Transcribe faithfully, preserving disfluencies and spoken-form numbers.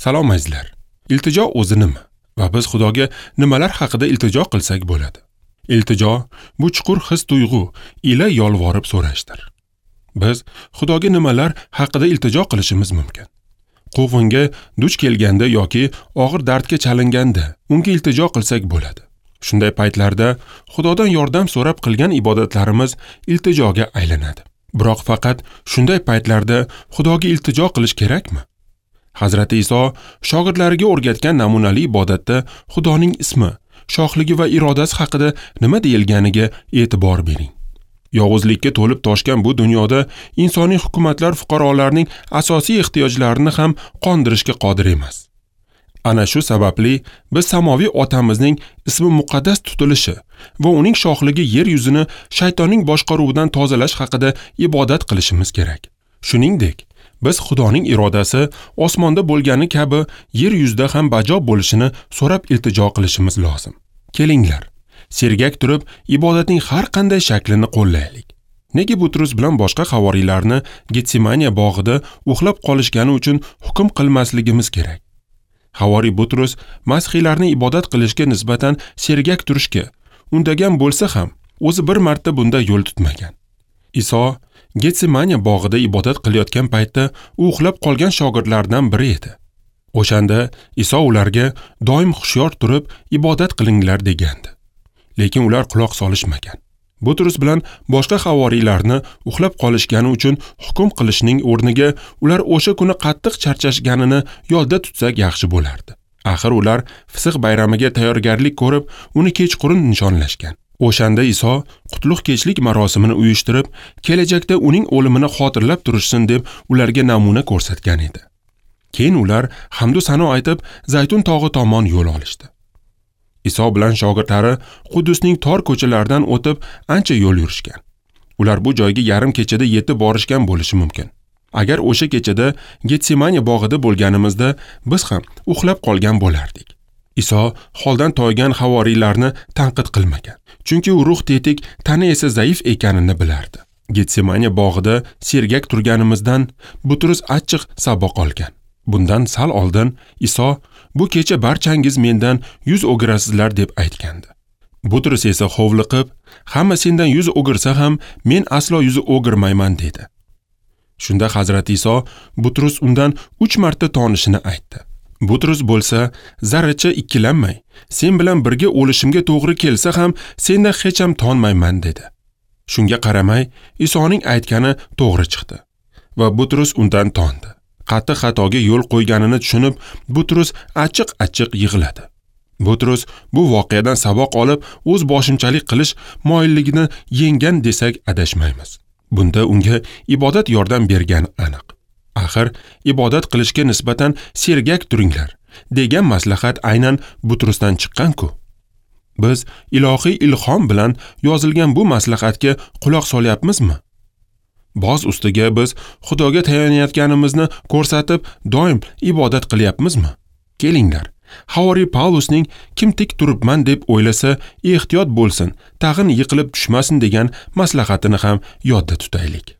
Salom azizlar. Iltijo o'zi nima? Va biz Xudoga nimalar haqida iltijo qilsak bo'ladi? Iltijo bu chuqur his-tuyg'u ila yolvorib so'rashdir. Biz Xudoga nimalar haqida iltijo qilishimiz mumkin? Quvg'inga duch kelganda yoki og'ir dardga chalinganda unga iltijo qilsak bo'ladi. Shunday paytlarda Xudodan yordam so'rab qilgan ibodatlarimiz iltijoga aylanadi. Biroq faqat shunday paytlarda Xudoga iltijo qilish kerakmi? Hazrati Iso shogirdlariga o'rgatgan namunali ibodatda Xudoning ismi, shohligi va irodasi haqida nima deyilganiga e'tibor bering. Yovuzlikka to'lib toshgan bu dunyoda insoniy hukumatlar fuqarolarning asosiy ehtiyojlarini ham qondirishga qodir emas. Ana shu sababli biz samoviy otamizning ismi muqaddas tutilishi va uning shohligi yer yuzini shaytonning boshqaruvidan tozalash haqida ibodat qilishimiz kerak. Shuningdek, biz Xudoning irodasi osmonda bo'lgani kabi yer yuzida ham bajo bo'lishini so'rab iltijo qilishimiz lozim. Kelinglar, sergak turib ibodatning har qanday shaklini qo'llaylik. Nega Butrus bilan boshqa havoriylarni Getsemaniya bog'ida uxlab qolishgani uchun hukm qilmasligimiz kerak? Havoriy Butrus masihiylarni ibodat qilishga nisbatan sergak turishga undagan bo'lsa ham, o'zi bir marta bunda yo'l tutmagan. Iso Getsemaniya bog'ida ibodat qilayotgan paytda u uxlab qolgan shogirdlardan biri edi. O'shanda Iso ularga doim hushyor turib ibodat qilinglar degandi. Lekin ular quloq solishmagan. Butrus bilan boshqa havoriylarni uxlab qolishgani uchun hukm qilishning o'rniga ular o'sha kuni qattiq charchashganini yodda tutsak yaxshi bo'lardi. Axir ular Fisix bayramiga tayyorgarlik ko'rib, uni kechqurun nishonlashgan. O'shanda Iso qutlug' kechlik marosimini uyushtirib, kelajakda uning o'limini xotirlab turishsin deb ularga namuna ko'rsatgan edi. Keyin ular hamd va sano aytib, Zaytun tog'i tomon yo'l olishdi. Iso bilan shogirdlari Quddusning tor ko'chalaridan o'tib ancha yo'l yurishgan. Ular bu joyga yarim kechada yetib borishgan bo'lishi mumkin. Agar o'sha kechada Getsemaniya bog'ida bo'lganimizda biz ham uxlab qolgan bo'lardik. Iso holdan toygan havoriylarni tanqid qilmagan. Chunki u ruh tetik, tana esa zaif ekanini bilardi. Getsemaniya bog'ida sergak turganimizdan Butrus achchiq saboq olgan. Bundan sal oldin Iso bu kecha barchangiz mendan yuz o'girasizlar deb aytgandi. Butrus esa hovliqib, hamma sendan yuz o'girsa ham men aslo yuz o'girmayman dedi. Shunda Hazrati Iso Butrus undan uch marta tonishini aytdi. Butrus bo'lsa zarracha ikkilanmay, sen bilan birga o'lishimga to'g'ri kelsa ham sendan hech ham tonmayman dedi. Shunga qaramay Isoning aytgani to'g'ri chiqdi va Butrus undan tondi. Qattiq xatoga yo'l qo'yganini tushunib, Butrus achchiq-achchiq yig'ladi. Butrus bu voqeadan saboq olib, o'z boshimchalik qilish moyilligini yenggan desak adashmaymiz. Bunda unga ibodat yordam bergani aniq. Axir ibodat qilishga nisbatan sergak turinglar degan maslahat aynan Butrusdan chiqqan-ku. Biz ilohiy ilhom bilan yozilgan bu maslahatga quloq solyapmizmi? Boz ustiga biz Xudoga tayanayotganimizni ko'rsatib doim ibodat qilyapmizmi? Kelinglar, havoriy Pavlusning kim tik turibman deb o'ylasa, ehtiyot bo'lsin, tag'in yiqilib tushmasin degan maslahatini ham yodda tutaylik.